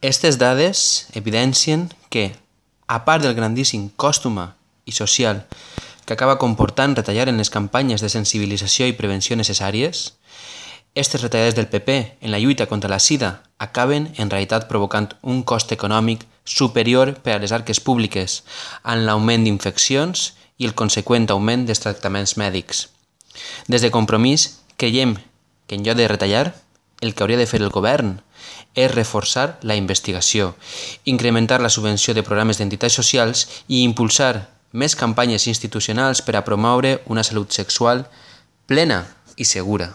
Aquestes dades evidencien que, a part del grandíssim cost humà i social que acaba comportant retallar en les campanyes de sensibilització i prevenció necessàries, aquestes retallades del PP en la lluita contra la sida acaben en realitat provocant un cost econòmic superior per a les arques públiques en l'augment d'infeccions i el conseqüent augment dels tractaments mèdics. Des de Compromís creiem que en lloc de retallar, el que hauria de fer el govern és reforçar la investigació, incrementar la subvenció de programes d'entitats socials i impulsar més campanyes institucionals per a promoure una salut sexual plena i segura.